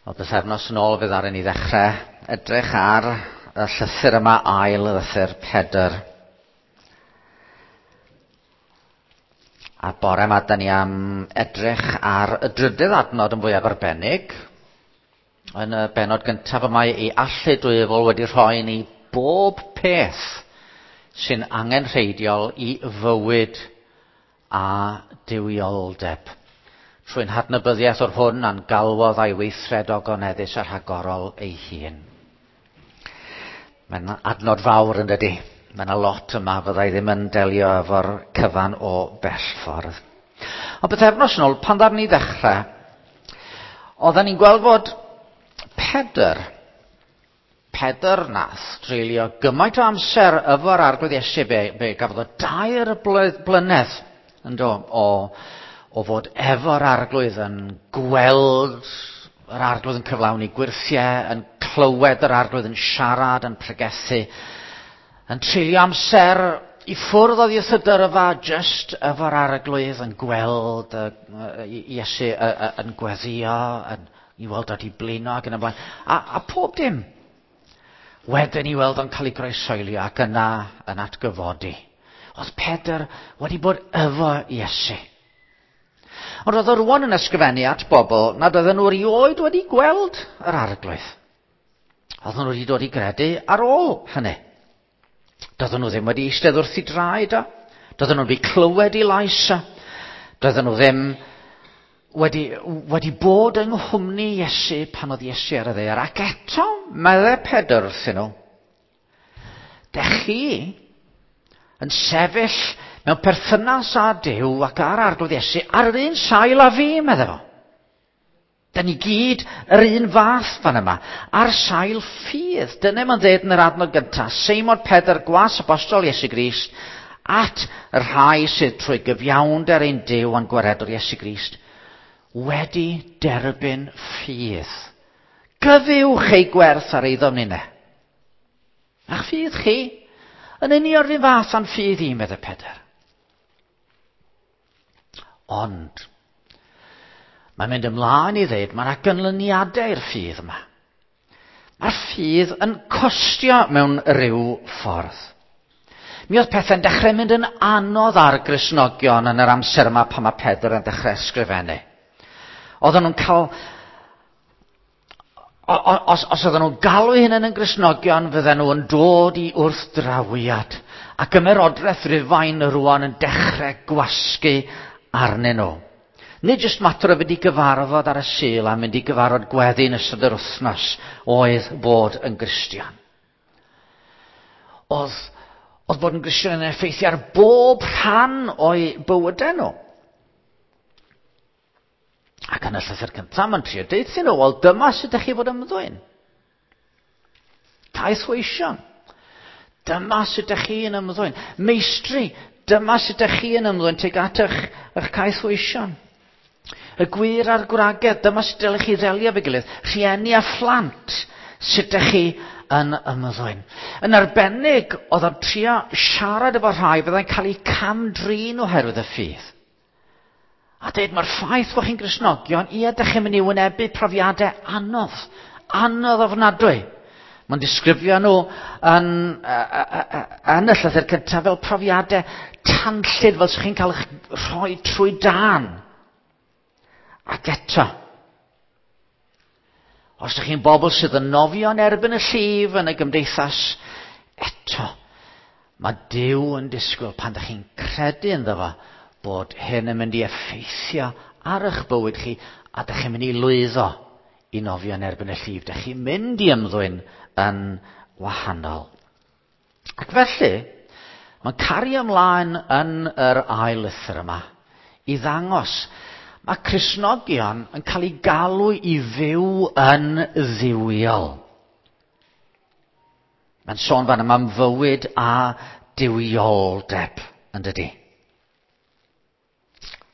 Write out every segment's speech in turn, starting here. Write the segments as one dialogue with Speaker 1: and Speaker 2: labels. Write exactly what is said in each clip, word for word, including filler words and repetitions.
Speaker 1: Wel, bythefnos yn ôl fydd ar ni ddechrau edrych ar y llythyr yma, ail lythyr Pedr. A bore yma, da ni am edrych ar y drydydd adnod yn fwyaf arbennig. Yn y bennod gyntaf yma, ei allu dwyfol wedi rhoi ni bob peth sy'n angenrheidiol i fywyd a duwioldeb. Trwy'n hadnabyddiaeth o'r hwn a'n galwodd a'i weithred ogoneddus a rhagorol ei hun. Mae'n adnod fawr yn dydi. Mae yna lot yma fyddai ddim yn delio efo'r cyfan o bell ffordd. Ond bythefnos yn ôl, pan ddaru ni ddechrau, oedden ni'n gweld fod Pedr, Pedr nath dreulio gymaint o amser efo'r Arglwydd Iesu, be, be gafodd o dair blynedd yn do, o, o fod efo'r Arglwydd yn gweld yr Arglwydd yn cyflawni gwyrthiau, yn clywed yr Arglwydd yn siarad, yn pregethu, yn treulio amser i ffwrdd oddi wrth y dyrfa, jyst efo'r Arglwydd yn gweld Iesu yn gweddïo, yn i weld o 'di blino ac yn y blaen, a, a pob dim. Wedyn i weld o'n cael ei groeshoelio ac yna yn atgyfodi. Oedd Pedr wedi bod efo Iesu. Ond oedd o rwan yn ysgrifennu at bobl nad oedden nhw erioed wedi gweld yr Arglwydd. Oedden nhw wedi dod i gredu ar ôl hynny. Doedden nhw ddim wedi eistedd wrth ei draed o. Doedden nhw wedi clywed ei lais o. Doedden nhw ddim wedi, wedi bod yng nghwmni Iesu pan oedd Iesu ar y ddaear. Ac eto, meddai Pedr wrthyn nhw, dech chi yn sefyll mewn perthynas â Duw ac â'r Arglwydd Iesu ar yr un sail â fi, meddai fo. Da ni gyd yr un fath fan yma, ar sail ffydd. Dyna mae'n dweud yn yr adnod gyntaf, Seimon Pedr, gwas apostol Iesu Grist, at y rhai sydd trwy gyfiawnder ein Duw a'n gwaredwr Iesu Grist, wedi derbyn ffydd. Gyfiwch ei gwerth ar eiddo ninne. A'ch ffydd chi, yn union yr un fath â'n ffydd i, meddai Pedr. Ond, mae'n mynd ymlaen i ddweud, mae yna ganlyniadau i'r ffydd yma. Mae'r ffydd yn costio mewn rhyw ffordd. Mi oedd pethau'n dechrau mynd yn anodd ar Gristnogion yn yr amser yma pan mae Pedr yn dechrau ysgrifennu. Oedden nhw'n cael... Os, os oedden nhw'n galw eu hunain yn Gristnogion, fydden nhw yn dod i wrthdrawiad. Ac ymerodraeth Rufain rwan yn dechrau gwasgu arnyn nhw. Nid jyst mater o fynd i gyfarfod ar y Sul a mynd i gyfarfod gweddi yn ystod yr wythnos oedd bod yn Gristion. Oedd, oedd bod yn Gristion yn effeithio ar bob rhan o'i bywydau nhw. Ac yn y llythyr cyntaf, mae'n trio deud nhw, wel dyma sut ydych chi fod ymddwyn. Caethweision, dyma sut ydych chi yn ymddwyn. Meistri, dyma sut ydych chi yn ymddwyn tuag at eich, eich caethweision. Y gwŷr a'r gwragedd, dyma sut dylech chi ddelio efo'i gilydd. Rhieni a phlant, sut ydych chi yn ymddwyn. Yn arbennig, oedd o'n trio siarad efo rhai fyddai'n cael eu cam-drin oherwydd y ffydd. A dweud, mae'r ffaith bod chi'n Gristnogion, ie, ydych chi'n mynd i wynebu profiadau anodd, anodd ofnadwy. Mae'n disgrifio nhw yn, yn y llythyr cyntaf fel profiadau tanllyd, fel sy'ch chi'n cael eich rhoi trwy dân. Ac eto, os ydych chi'n bobl sydd yn nofio yn erbyn y llif yn y gymdeithas, eto, mae Duw yn disgwyl pan ydych chi'n credu ynddo fo, bod hyn yn mynd i effeithio ar eich bywyd chi a ydych chi'n mynd i lwyddo i nofio yn erbyn y llif. Ydych chi'n mynd i ymddwyn yn wahanol. Ac felly, mae'n cario ymlaen yn yr ail lythyr yma i ddangos mae Cristnogion yn cael eu galw i fyw yn dduwiol. Mae'n sôn fan yma am fywyd a duwioldeb, yn dydi?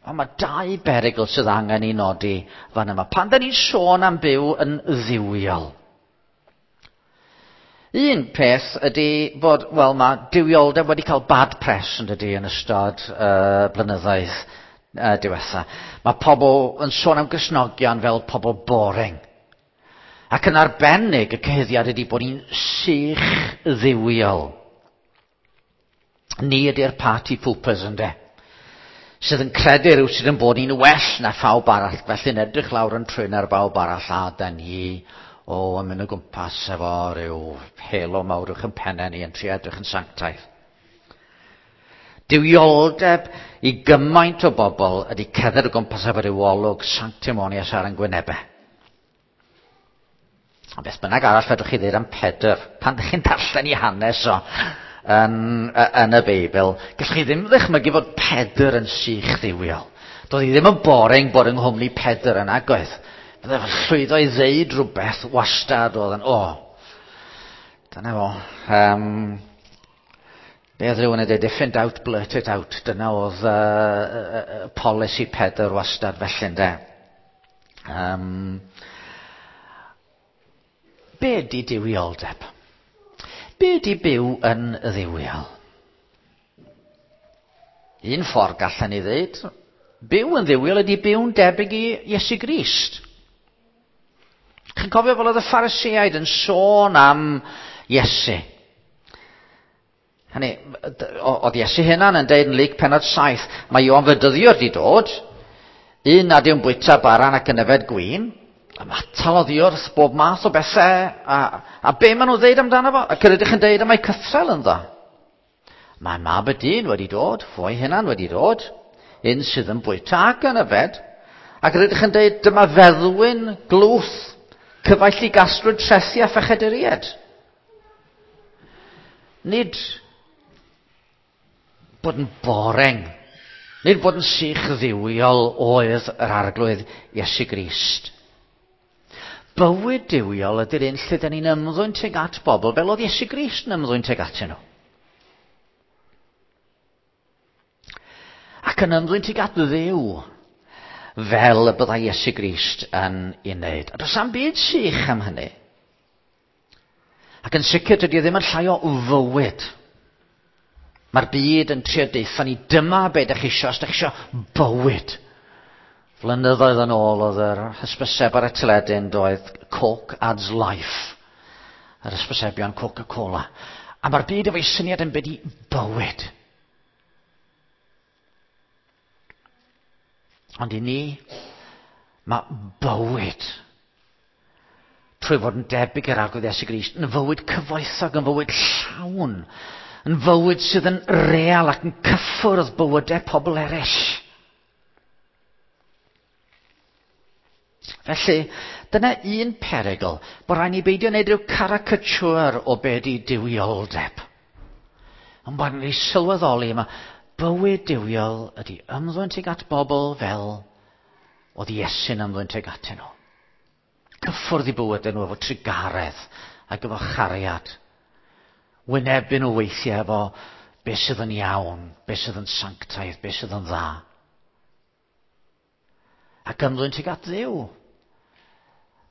Speaker 1: Ond mae dau berygl sydd angen i nodi fan yma. Pan da ni'n sôn am byw yn dduwiol. Un peth ydy bod, wel, mae duwioldeb wedi cael bad press yn dydi yn ystod uh, blynyddoedd uh, diwetha. Mae pobl yn sôn am Gristnogion fel pobl boring. Ac yn arbennig y cyhuddiad ydy bod ni'n sych dduwiol. Ni ydy'r party poopers, ynde? Sydd yn credu rhyw sydd yn bod ni'n well na phawb arall, felly'n edrych lawr yn trwyn ar bawb arall, a da ni, o, yn mynd o gwmpas efo rhyw halo mawr uwch yn pennau ni yn trio edrych yn sanctaidd. Duwioldeb i gymaint o bobl ydy cerdded o gwmpas efo rhyw olwg sanctimonious ar yn gwynebau. A beth bynnag arall fedrwch chi ddweud am Pedr, pan ydych chi'n darllen i hanes o yn, yn y Beibl, gallwch chi ddim ddychmygu fod Pedr yn sych dduwiol. Doedd hi ddim yn boring bod yng nghwmni Pedr yn agoedd. Bydde fe'n llwyddo i ddeud rhywbeth wastad oedd yn, o, dyna fo. Um, be oedd rhywun yn dweud, if in doubt, blurt it out. Dyna oedd uh, uh, polisi Pedr wastad felly, ynde. Um, be ydy duwioldeb? Be ydy byw yn dduwiol? Un ffordd gallen ni ddweud, byw yn dduwiol ydy byw'n debyg i Iesu Grist. Chi'n cofio fel oedd y Phariseaid yn sôn am Iesu? Hynny, oedd Iesu hunan yn deud yn Luc pennod saith, mae Ioan Fedyddiwr wedi dod, un nad yw'n bwyta bara ac yn yfed gwin, ymatal oddi wrth bob math o bethau, a, a be maen nhw'n ddeud amdano fo? Ac yr ydych yn deud y mae cythrel ynddo. Mae mab y dyn wedi dod, fo'i hunan wedi dod, un sydd yn bwyta ac yn yfed, ac yr ydych yn deud dyma feddwyn glwth, cyfaill i gasglwyd trethi a phechaduriaid. Nid bod yn boring, nid bod yn sych dduwiol oedd yr Arglwydd Iesu Grist. Bywyd duwiol ydy'r un lle dyn ni'n ymddwyn tuag at bobl fel oedd Iesu Grist yn ymddwyn tuag atyn nhw. Ac yn ymddwyn tuag at Dduw fel y byddai Iesu Grist yn ei wneud. A does am byd sych am hynny. Ac yn sicr dydy o ddim yn llai o fywyd. Mae'r byd yn trio deutha ni, dyma be ydych chi isio, os ydych chi isio bywyd. Flynyddoedd yn ôl oedd yr hysbyseb ar y teledu yn doedd Coke adds life. Yr hysbysebion Coca-Cola. A mae'r byd efo'i syniad yn byd i bywyd. Ond i ni, mae bywyd trwy fod yn debyg i'r Arglwydd Iesu Grist yn fywyd cyfoethog, yn fywyd llawn, yn fywyd sydd yn real ac yn cyffwrdd bywydau pobl eraill. Felly, dyna un perygl, bod rhaid ni beidio wneud rhyw caricature o be di duwioldeb. Ond bod ni sylweddoli yma, bywyd duwiol ydy ymddwyn tuag at bobl fel oedd Iesu'n ymddwyn tuag atyn nhw. Cyffwrdd i bywydau nhw efo trugaredd ac efo chariad. Wynebu nhw weithiau efo beth sydd yn iawn, beth sydd yn sanctaidd, beth sydd yn dda. Ac ymddwyn tuag at Dduw.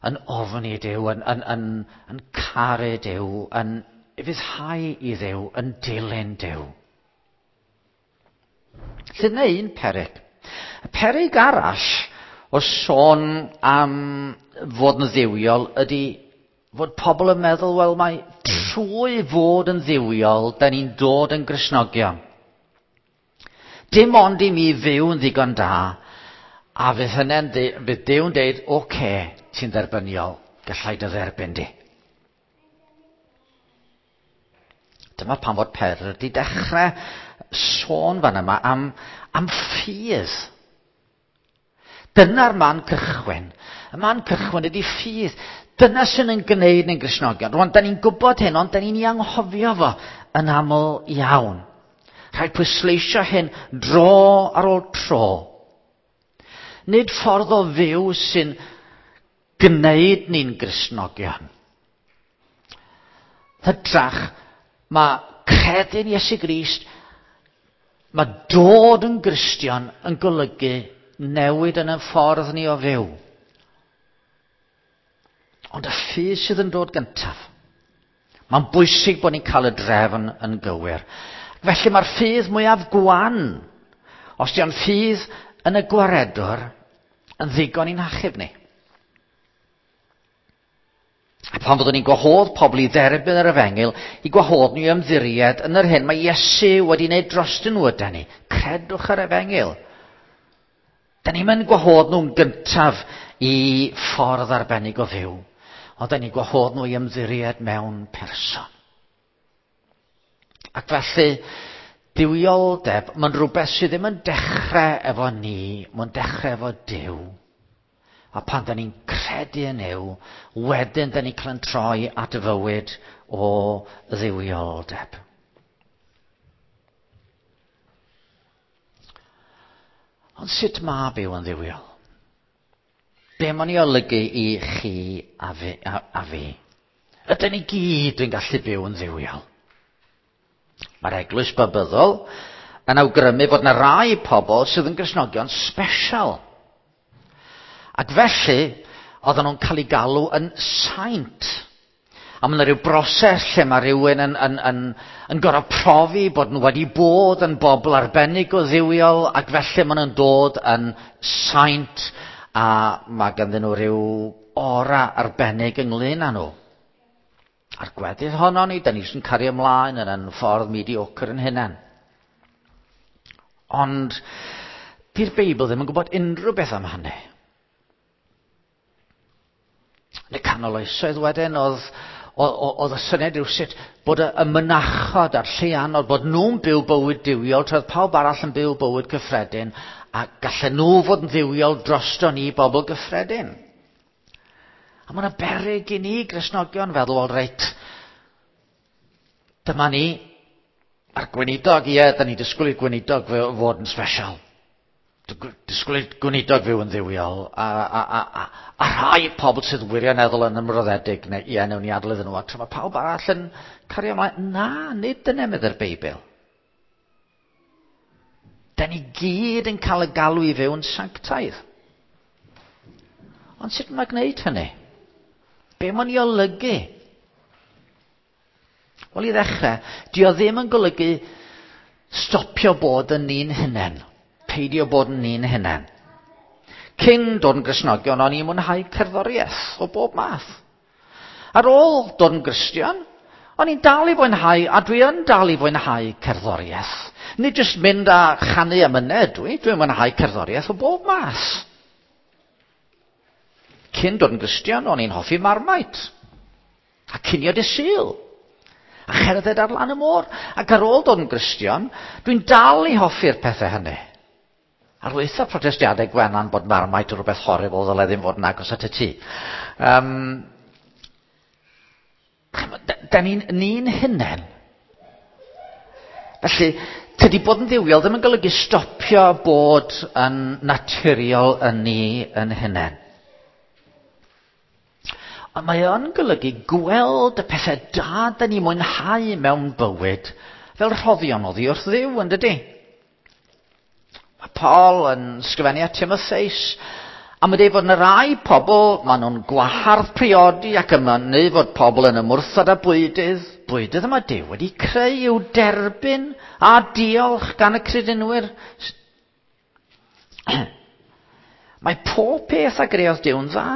Speaker 1: Yn ofni Duw, yn, yn, yn, yn caru Duw, yn ufuddhau i Dduw, yn dilyn Duw. Felly dyna un peryg. Y peryg arall o sôn am fod yn dduwiol ydy fod pobl yn meddwl, wel mae trwy fod yn dduwiol, da ni'n dod yn Gristnogion. Dim ond i mi fyw yn ddigon da, a fydd hynny'n fydd Duw'n deud, oce, okay, ti'n dderbyniol, gallai dy dderbyn di. Dyma pan fod Pedr wedi dechrau sôn fan yma am, am ffydd. Dyna'r man cychwyn. Y man cychwyn ydy ffydd. Dyna sy'n yn gwneud ni'n Gristnogion. Rwan, da ni'n gwybod hyn, ond da ni'n ei anghofio fo yn aml iawn. Rhaid pwysleisio hyn dro ar ôl tro. Nid ffordd o fyw sy'n gwneud ni'n Gristnogion. Hytrach, mae credu'n Iesu Grist, mae dod yn Gristion yn golygu newid yn y ffordd ni o fyw. Ond y ffydd sydd yn dod gyntaf. Mae'n bwysig bod ni'n cael y drefn yn gywir. Felly mae'r ffydd mwyaf gwan, os di o'n ffydd yn y gwaredwr, yn ddigon i'n achub ni. A pan fyddwn ni'n gwahodd pobl i dderbyn yr efengyl, i gwahodd nhw i ymddiried yn yr hyn mae Iesu wedi wneud drostyn nhw ydan ni. Credwch yr efengyl. Da ni'n mynd gwahodd nhw'n gyntaf i ffordd arbennig o fyw, ond da ni'n gwahodd nhw i ymddiried mewn person. Ac felly, duwioldeb, mae'n rhywbeth sydd ddim yn dechrau efo ni, mae'n dechrau efo Duw. A pan da ni'n credu yn Nuw, wedyn da ni'n cael yn troi at fywyd o dduwioldeb. Ond sut mae byw yn dduwiol? Be mae'n ei olygu i chi a fi? A, a fi? Ydyn ni gyd yn gallu byw yn dduwiol? Mae'r eglwys Babyddol yn awgrymu fod yna rai pobl sydd yn Gristnogion special. Ac felly, oedden nhw'n cael eu galw yn saint. A mae yna rhyw broses lle mae rhywun yn, yn, yn, yn gorfod profi bod nhw wedi bod yn bobl arbennig o dduwiol, ac felly maen nhw'n dod yn saint, a mae ganddyn nhw rhyw ora arbennig ynglyn â nhw. A'r gweddill honno ni, da ni sy'n cario ymlaen yn yn ffordd mediocre yn hunain. Ond, di'r Beibl ddim yn gwybod unrhyw beth am hynny. Yn y canol oesoedd wedyn, oedd, oedd y syniad rhywsut bod y, y mynachod a'r lleianod, bod nhw'n byw bywyd duwiol, tra oedd pawb arall yn byw bywyd cyffredin, a gallen nhw fod yn dduwiol drosto ni bobl gyffredin. A mae yna beryg i ni, Gristnogion, feddwl, wel reit, dyma ni, a'r gweinidog, ie, da ni disgwyl i'r gweinidog fod yn special. Disgwyl i'r gweinidog fyw yn dduwiol, a, a, a, a, a rhai pobl sydd wirioneddol yn ymroddedig, neu ie, newn ni adael iddyn nhw, a tra mae pawb arall yn cario ymlaen. Na, nid dyna medde'r Beibl. Da ni gyd yn cael y galw i fyw yn sanctaidd. Ond sut mae gwneud hynny? Be mae'n ei olygu? Wel, i ddechrau, di o ddim yn golygu stopio bod yn ni'n hunain. Peidio bod yn ni'n hunain. Cyn dod yn Gristnogion, o'n i'n mwynhau cerddoriaeth o bob math. Ar ôl dod yn Gristion, o'n i'n dal i fwynhau, a dwi yn dal i fwynhau cerddoriaeth. Nid jyst mynd a chanu am myned dwi, dwi'n mwynhau cerddoriaeth o bob math. Cyn dod yn Gristion, o'n i'n hoffi Marmite, a cinio dydd Sul, a cherdded ar lan y môr. Ac ar ôl dod yn Gristion, dwi'n dal i hoffi'r pethau hynny. Ar waetha protestiadau Gwenan bod Marmite yn rhywbeth horrible ddyle ddim fod yn agos at y tŷ. Um, da ni'n ni'n hunain. Felly, tydi bod yn dduwiol ddim yn golygu stopio bod yn naturiol yn ni yn hunain. Ond mae o'n golygu gweld y pethau da da ni mwynhau mewn bywyd fel rhoddion oddi wrth Dduw, yn dydi? Mae Paul yn sgrifennu at Timotheus, a mae'n dweud fod yna rai pobl, maen nhw'n gwahardd priodi ac yn mynnu fod pobl yn ymwrthod â bwydydd. Bwydydd yma Duw wedi creu i'w derbyn a diolch gan y credinwyr. Mae pob peth a greodd Duw'n dda.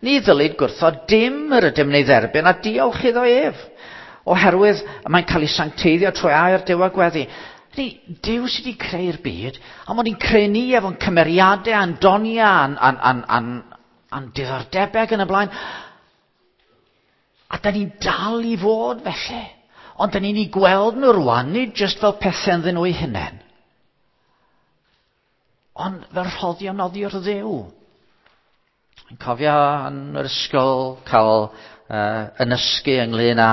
Speaker 1: Ni ddylid gwrthod dim yr ydym neu dderbyn a diolch iddo ef, oherwydd mae'n cael ei sancteiddio trwy air Duw a gweddi. Ni, Duw sydd wedi creu'r byd, a mae'n ni'n creu ni efo'n cymeriadau, a'n doniau, a'n, a'n, a'n, a'n, a'n diddordebau ac yn y blaen. A da ni'n dal i fod felly. Ond da ni'n ei gweld nhw rwan, nid jyst fel pethau ynddyn nhw eu hunain, ond fel rhoddion oddi wrth Dduw. Yn cofio yn yr ysgol cael uh, ynysgu ynglyn â,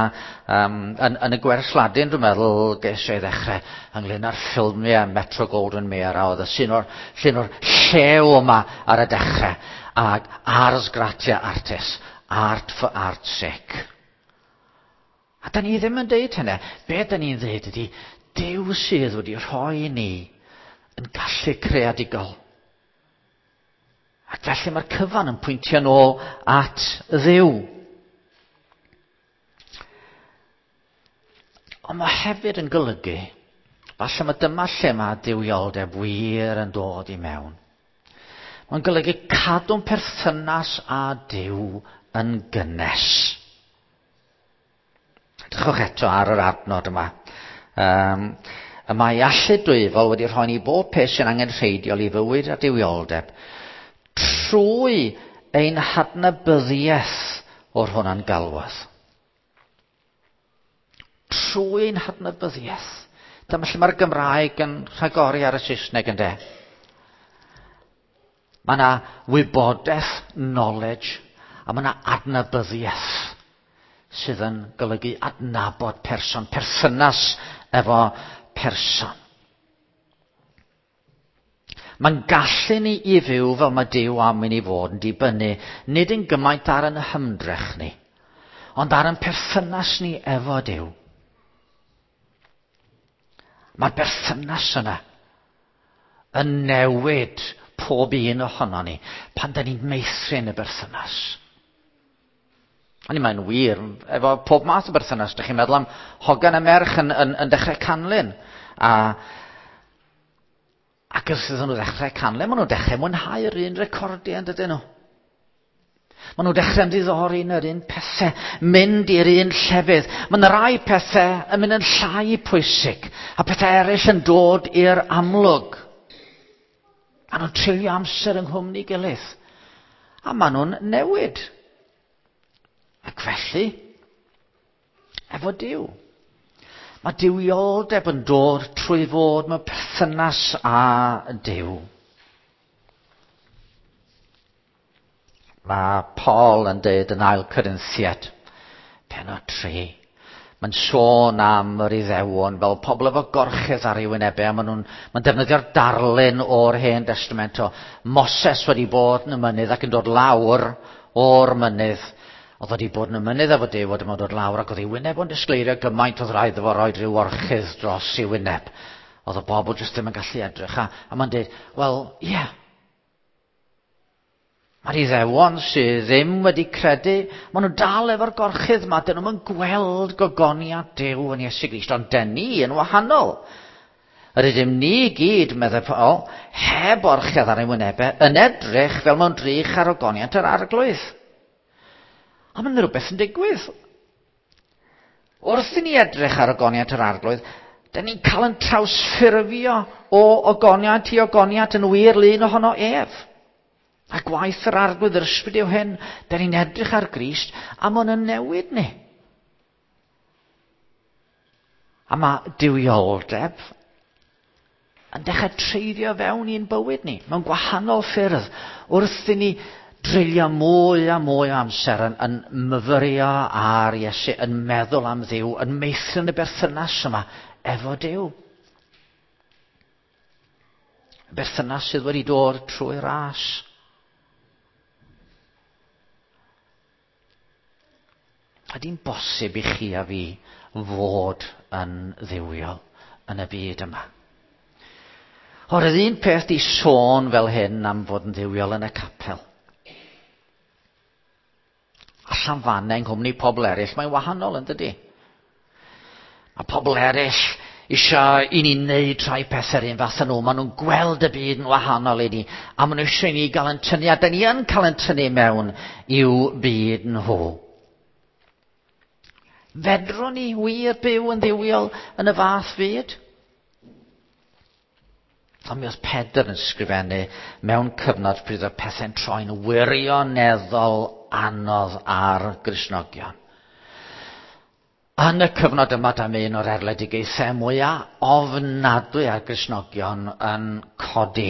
Speaker 1: um, yn, yn y gwers Ladin, dwi'n meddwl, ges i ddechrau ynglyn â'r ffilmiau Metro Goldwyn Mayer, a oedd y llun o'r, llun o'r llew yma ar y dechrau, ag ars gratia artis, art for art's sake. A da ni ddim yn deud hynny. Be da ni'n ddeud ydy, Duw sydd wedi rhoi ni yn gallu creadigol. Ac felly mae'r cyfan yn pwyntio nôl at Dduw. Ond mae hefyd yn golygu, falle mae dyma lle mae duwioldeb wir yn dod i mewn. Mae'n golygu cadw'n perthynas â Duw yn gynnes. Edrychwch eto ar yr adnod yma. Um, y mae allu dwyfol wedi rhoi ni bob peth sy'n angenrheidiol i fywyd a duwioldeb trwy ein hadnabyddiaeth o'r hwnna'n galwodd. Trwy ein hadnabyddiaeth. Dyma lle mae'r Gymraeg yn rhagori ar y Saesneg, ynde. Mae yna wybodaeth, knowledge, a mae yna adnabyddiaeth sydd yn golygu adnabod person, perthynas efo person. Mae'n gallu ni i fyw fel mae Duw am i ni fod yn dibynnu, nid yn gymaint ar yn hymdrech ni, ond ar yn perthynas ni efo Duw. Mae'r berthynas yna yn newid pob un ohono ni pan da ni'n meithrin y berthynas. O'n i'n, mae'n wir, efo pob math o berthynas. Dych chi'n meddwl am hogan a merch yn, yn, yn dechrau canlyn. A, ac wrth iddyn nhw ddechrau canlyn, maen nhw'n dechrau mwynhau'r un recordiau, yn dydyn nhw? Maen nhw'n dechrau ymddiddori yn yr un pethau, mynd i'r un llefydd. Mae yna rai pethau yn mynd yn llai pwysig, a pethau eraill yn dod i'r amlwg. Maen nhw'n treulio amser yng nghwmni gilydd. A maen nhw'n newid. Ac felly, efo Duw. Mae duwioldeb yn dod trwy fod mewn perthynas â Duw. Mae Paul yn dweud yn Ail Corinthiaid, pennod tri. Mae'n sôn am yr Iddewon fel pobl efo gorchudd ar ei wynebau, a maen nhw'n mae'n defnyddio'r darlun o'r Hen Testament o Moses wedi bod yn y mynydd ac yn dod lawr o'r mynydd. Oedd wedi bod yn y mynydd efo Duw, a dyma dod lawr ac oedd ei wyneb o'n disgleirio gymaint oedd rhaid iddo fo roi rhyw orchudd dros ei wyneb. Oedd y bobl jyst ddim yn gallu edrych. A, a mae'n dweud, wel, ie. Yeah. Mae'r Iddewon sydd ddim wedi credu, maen nhw dal efo'r gorchudd yma, dyn nhw'n gweld gogoniant Duw yn Iesu Grist, ond dyn ni yn wahanol. Yr ydym ni gyd, meddai Paul, heb orchudd ar ein wynebau, yn edrych fel mewn drych ar ogoniant yr Arglwydd. A mae'n rhywbeth yn digwydd. Wrth i ni edrych ar ogoniant yr Arglwydd, dyn ni'n cael yn trawsffurfio o ogoniant i ogoniant yn wir lun ohono ef. A gwaith yr Arglwydd yr Ysbryd yw hyn, dyn ni'n edrych ar Grist, a mae hwn yn newid ni. A mae duwioldeb yn dechrau treiddio fewn i'n bywyd ni, mewn gwahanol ffyrdd, wrth i ni dreulio mwy a mwy o amser yn, yn myfyrio ar Iesu, yn meddwl am Dduw, yn meithrin y berthynas yma efo Duw. Y berthynas sydd wedi dod trwy ras. Ydy'n bosib i chi a fi fod yn dduwiol yn y byd yma? O'r un peth di sôn fel hyn am fod yn dduwiol yn y capel. Allan fanna yng nghwmni pobl eraill, mae'n wahanol yn dydy. Mae pobl eraill eisiau i ni wneud rhai pethau un fath â nhw. Maen nhw'n gweld y byd yn wahanol i ni. A maen nhw eisiau i ni gael yn tynnu, a da ni yn cael yn tynnu mewn i'w byd nhw. Fedrwn ni wir byw yn dduwiol yn y fath fyd? Ond mi oedd Pedr yn sgrifennu mewn cyfnod pryd oedd pethau'n troi'n wirioneddol anodd ar Gristnogion. Yn y cyfnod yma, dyma un o'r erledigaethau mwyaf ofnadwy ar Gristnogion yn codi.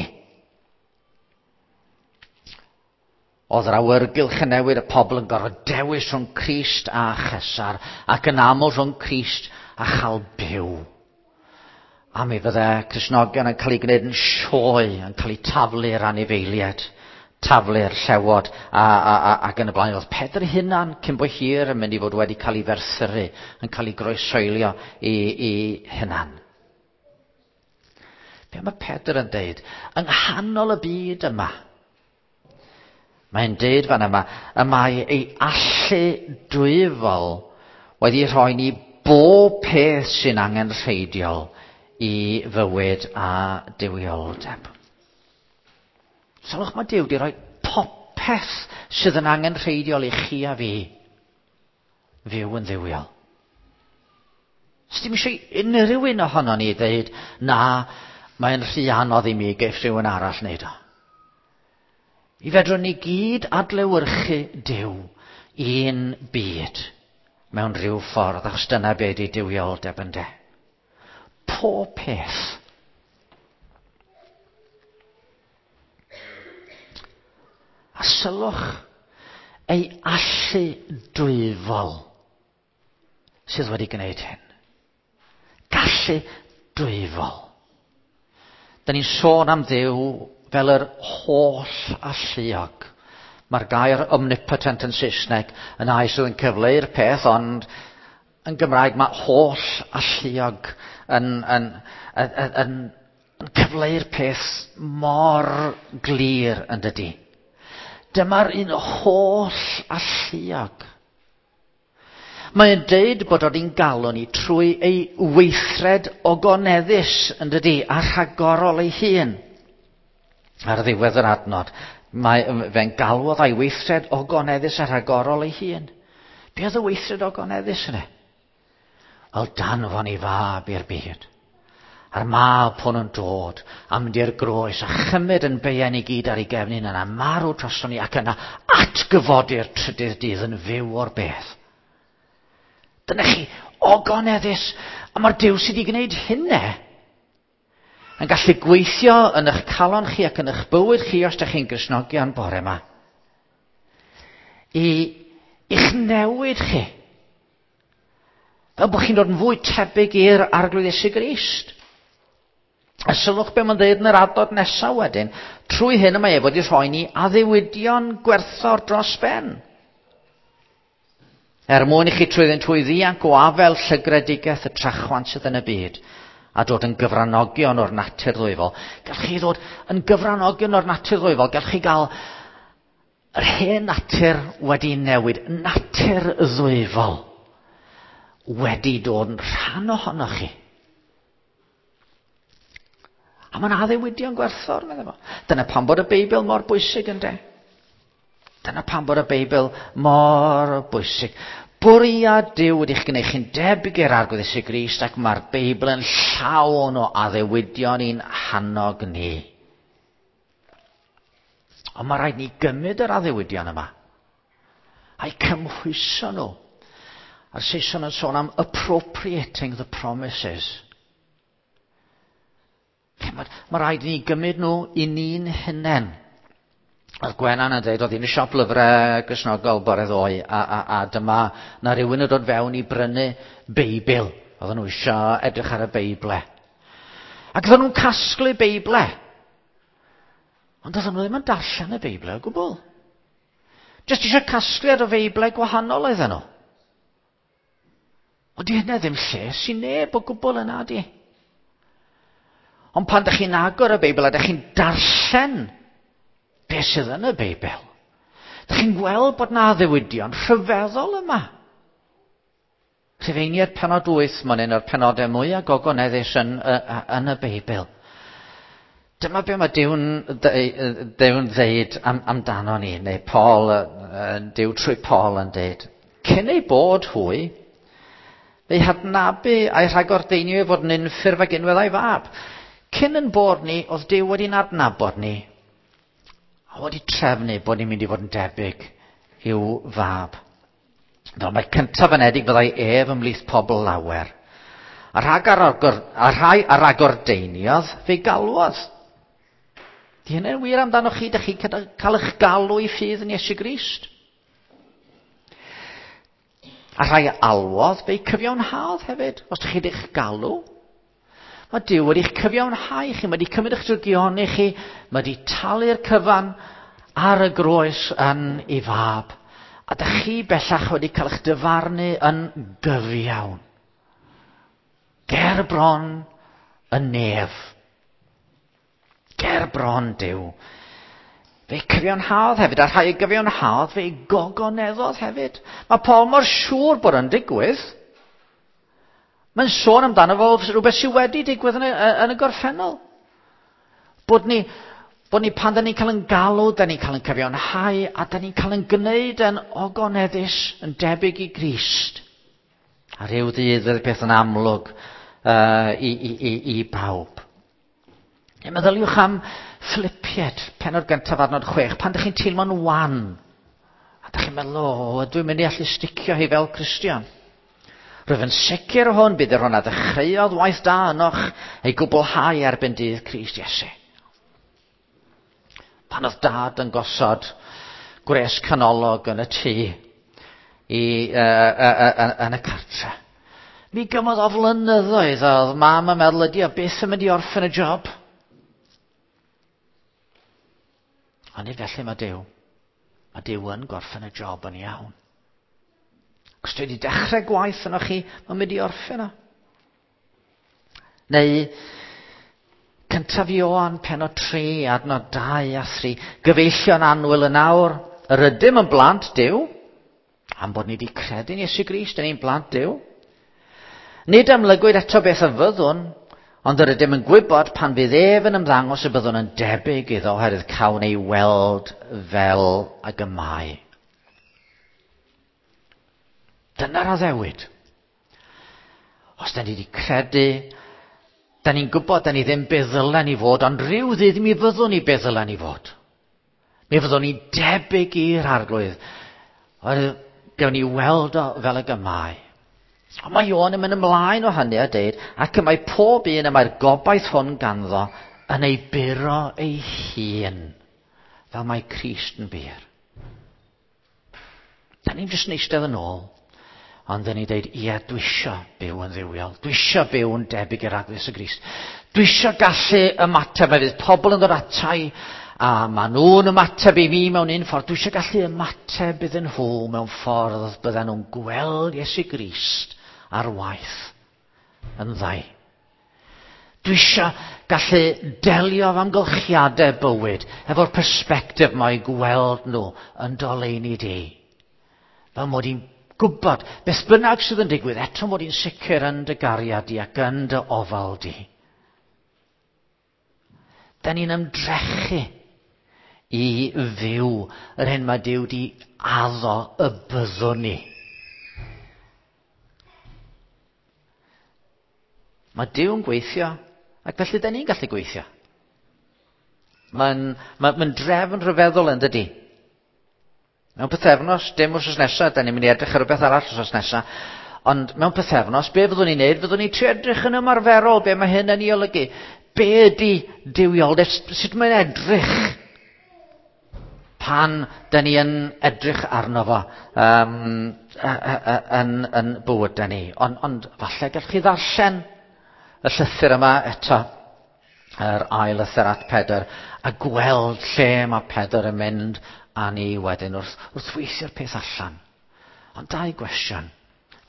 Speaker 1: Oedd yr awyrgylch yn newid, y pobl yn gorfod dewis rhwng Crist a Chesar, ac yn aml rhwng Crist a chael byw. A mi fydde Cristnogion yn cael eu gwneud yn sioe, yn cael eu taflu'r anifeiliaid, taflu'r llewod, a, a, a, ac yn y blaen. Oedd Pedr hunan cyn bo hir yn mynd i fod wedi cael ei ferthyru, yn cael ei groesoelio i, i hunan. Be mae Pedr yn deud? Yng nghanol y byd yma, mae'n deud fan yma, y mae ei allu dwyfol wedi rhoi ni bob peth sy'n angenrheidiol i fywyd a duwioldeb. Sylwch, mae Duw wedi rhoi popeth sydd yn angenrheidiol i chi a fi fyw yn dduwiol. Sdim eisiau unrhyw un ohono ni ddeud, na, mae'n rhy anodd i mi geiff rhywun arall wneud o. I fedrwn ni gyd adlewyrchu Duw un byd mewn rhyw ffordd, achos dyna be ydi duwioldeb ynde. Pob peth. A sylwch ei allu dwyfol sydd wedi gwneud hyn. Gallu dwyfol. Da ni'n sôn am Dduw fel yr holl alluog. Mae'r gair omnipotent yn Saesneg yn air sydd yn cyfleu'r peth, ond yn Gymraeg mae holl alluog yn, yn, yn, yn, yn, yn cyfleu'r peth mor glir yn dydi. Dyma'r un holl alluog. Mae'n deud bod o'n galw ni trwy ei weithred ogoneddus yn dydi, a rhagorol ei hun. Ar ddiwedd yr adnod, mae fe'n galwodd a'i weithred ogoneddus a rhagorol ei hun. Be oedd y weithred ogoneddus yna? Wel, danfon ei fab i'r byd. A'r mab hwn yn dod a mynd i'r groes a chymryd yn beiau ni gyd ar ei gefn yna, marw droson ni ac yna atgyfodi'r trydydd dydd yn fyw o'r bedd. Dyna chi, ogoneddus, a mae'r Duw sydd wedi gwneud hynna yn gallu gweithio yn eich calon chi ac yn eich bywyd chi os ydych chi'n Gristnogion bore yma. I i'ch newid chi. Fel bod chi'n dod yn fwy tebyg i'r Arglwydd Iesu Grist. A sylwch be mae'n dweud yn yr adnod nesaf wedyn, trwy hyn y mae ef wedi rhoi ni addewidion gwerthfawr dros ben. Er mwyn i chi trwyddyn trwy ddianc o afel llygredigaeth y trachwant sydd yn y byd, a dod yn gyfranogion o'r natur ddwyfol. Gallwch chi ddod yn gyfranogion o'r natur ddwyfol, gallwch chi gael yr hen natur wedi newid, natur ddwyfol wedi dod yn rhan ohonoch chi. A mae'n addewidion gwerthfawr, meddai fo. Dyna pam bod y Beibl mor bwysig ynde. Dyna pam bod y Beibl mor bwysig. Bwriad Duw wedi'ch gwneud chi'n debyg i'r Arglwydd Iesu Grist, ac mae'r Beibl yn llawn o addewidion i'n hannog ni. Ond mae rhaid ni gymryd yr addewidion yma a'i cymhwyso nhw. A'r Saeson yn sôn am appropriating the promises. Mae, mae rhaid ni gymryd nhw i ni'n hunain. Oedd Gwenan yn dweud, oedd hi'n y siop lyfrau Gristnogol bore ddoe, a, a, a dyma na rhywun yn dod fewn i brynu Beibl. Oedden nhw eisiau edrych ar y Beible. Ac oedden nhw'n casglu Beible. Ond oedden nhw ddim yn darllen y Beible o gwbl. Jyst eisiau casgliad o Feible gwahanol oedden nhw. Ond di hynna ddim lles i neb o gwbl yna di. Ond pan ydych chi'n agor y Beibl a ydych chi'n darllen beth sydd yn y Beibl, ydych chi'n gweld bod na addewidion rhyfeddol yma. Rhufeiniaid penod wyth, mae'n un o'r penodau mwyaf gogoneddus yn, yn y Beibl. Dyma be mae Duw'n Duw'n ddeud am, amdano ni, neu Paul, Duw trwy Paul yn deud. Cyn ei bod hwy, fe'i hadnabu a'i rhagordeinio i fod yn unffurf ag unwedd a'i fab. Cyn yn bod ni, oedd Duw wedi'n adnabod ni, a wedi trefnu bod ni'n mynd i fod yn debyg i'w fab. Fel mae cyntaf anedig fyddai ef ymhlith pobl lawer. A rhag ar agor, a rhai ar agordeiniodd, fe'i galwodd. Di hynny'n wir amdano chi, dych chi'n cael eich galw i ffydd yn Iesu Grist. A rhai alwodd, fe'i cyfiawnhaodd hefyd, os dych chi wedi'ch galw. Mae Duw wedi'ch cyfiawnhau chi, mae wedi cymryd eich drygioni chi, mae wedi talu'r cyfan ar y groes yn ei fab. A dych chi bellach wedi cael eich dyfarnu yn gyfiawn. Ger bron y nef. Ger bron Duw. Fe'i cyfiawnhaodd hefyd, a rhai gyfiawnhaodd, fe'i gogoneddodd hefyd. Mae Paul mor siŵr bod yn digwydd. Mae'n sôn amdano fo rhywbeth sydd wedi digwydd yn y, yn y gorffennol. Bod ni, bod ni pan da ni'n cael yn galw, da ni'n cael yn cyfiawnhau, a da ni'n cael yn gwneud yn ogoneddus, yn debyg i Grist. A rhyw ddydd fydd peth yn amlwg uh, i, i, i, i bawb. E, meddyliwch am Philipiaid, pennod gyntaf adnod chwech, pan ydych chi'n teimlo'n wan, a ydych chi'n meddwl, o, ydw i'n mynd i allu sticio hi fel Cristion. Rwyf yn sicr o hwn, bydd yr hwn a ddechreuodd waith da ynoch ei gwblhau erbyn dydd Crist Iesu. Pan oedd dad yn gosod gwres canolog yn y tŷ i, uh, uh, uh, yn y cartre, mi gymodd o flynyddoedd oedd mam yn meddwl ydi o byth yn mynd i orffen y job. Ond nid felly mae Duw. Mae Duw yn gorffen y job yn iawn. Os dwi wedi dechrau gwaith yno chi, mae'n mynd i orffen o. Neu, cyntaf Ioan, pennod tri, adnod dau a thri. Gyfeillion annwyl yn awr, yr ydym yn blant Duw, am bod ni wedi credu'n Iesu Grist, yn ein blant Duw. Nid amlygwyd eto beth y fyddwn, ond yr ydym yn gwybod pan fydd ef yn ymddangos y byddwn yn debyg iddo, oherwydd cawn ei weld fel ag y mae. Dyna'r addewid. Os da ni wedi credu, da ni'n gwybod da ni ddim be ddylen ni fod, ond rhyw ddydd mi fyddwn ni be ddylen ni fod. Mi fyddwn ni debyg i'r Arglwydd. Oherwydd gawn ni weld o fel ag y mae. Ond mae Ioan yn mynd ymlaen o hynny a deud, ac y mae pob un y mae'r gobaith hwn ganddo yn ei buro ei hun, fel mae Crist yn bur. Da ni'n jyst yn eistedd yn ôl, ond da ni'n deud, ie, dwi isio byw yn dduwiol, dwi isio byw yn debyg i'r Arglwydd Iesu Grist. Dwi isio gallu ymateb, mae fydd pobl yn dod ata i, a maen nhw'n ymateb i fi mewn un ffordd. Dwi eisiau gallu ymateb iddyn nhw mewn ffordd bydden nhw'n gweld Iesu Grist ar waith yn ddau. Dwi eisiau gallu delio efo amgylchiadau bywyd efo'r persbectif mae gweld nhw yn doleini di. Fel mod i'n gwybod beth bynnag sydd yn digwydd, eto mod i'n sicr yn dy gariad di ac yn dy ofal di. Da ni'n ymdrechu i fyw yr hyn mae Duw di addo y byddwn ni. Mae Duw yn gweithio, ac felly da ni'n gallu gweithio. Mae'n ma, ma drefn rhyfeddol yn dydi. Mewn pythefnos, dim wrth nesaf, da ni'n mynd i edrych ar rhywbeth arall wrth nesaf, ond mewn pythefnos, be fyddwn ni'n neud? Fyddwn ni'n trio edrych yn ymarferol, be mae hyn yn ei olygu. Be ydy duwioldeb? Sut mae'n edrych pan da ni yn edrych arno fo um, yn, yn bywydau ni. Ond, ond falle gallwch chi ddarllen y llythyr yma eto, yr ail lythyr at Pedr, a gweld lle mae Pedr yn mynd â ni wedyn wrth, wrth weithio'r peth allan. Ond dau gwestiwn.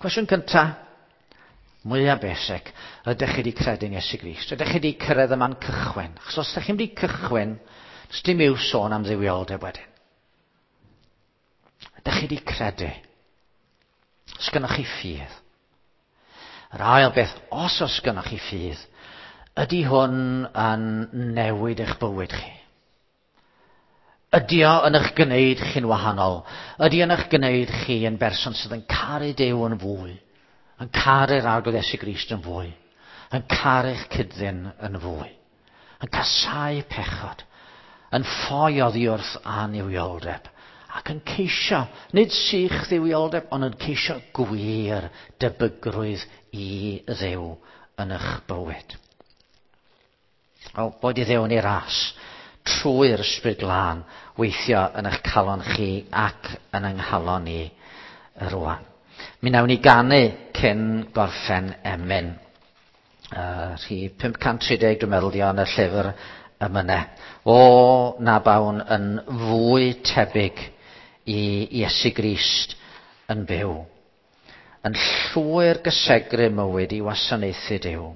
Speaker 1: Cwestiwn cyntaf, mwyaf basic, ydych chi wedi credu'n Iesu Grist? Ydych chi wedi cyrraedd y man cychwyn? Achos os ydych chi'n wedi cychwyn, does dim i'w sôn am dduwioldeb wedyn. Ydych chi wedi credu? Os gynnoch chi ffydd? Yr ail beth, os oes gynnoch chi ffydd, ydy hwn yn newid eich bywyd chi? Ydy o yn eich gwneud chi'n wahanol? Ydy yn eich gwneud chi yn berson sydd yn caru Duw yn fwy? Yn caru'r Arglwydd Iesu Grist yn fwy? Yn caru'ch cyd-ddyn yn fwy? Yn casáu pechod? Yn ffoi oddi wrth annuwioldeb? Ac yn ceisio, nid sych dduwioldeb, ond yn ceisio gwir debygrwydd i Dduw yn eich bywyd. Wel, boed i Dduw yn ei ras, trwy'r Ysbryd Glân, weithio yn eich calon chi ac yn yng nghalon ni rwan. Mi wnawn ni ganu cyn gorffen emyn. Uh, rhif pump cant tri deg dwi'n meddwl di yn y llyfr emynau. O, na bawn yn fwy tebyg i Iesu Grist yn byw. Yn llwyr gysegru mywyd i wasanaethu Duw.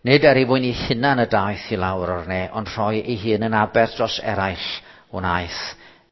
Speaker 1: Nid er ei fwyn ei hunan y daeth i lawr o'r ne, ond rhoi ei hun yn aberth dros eraill wnaeth.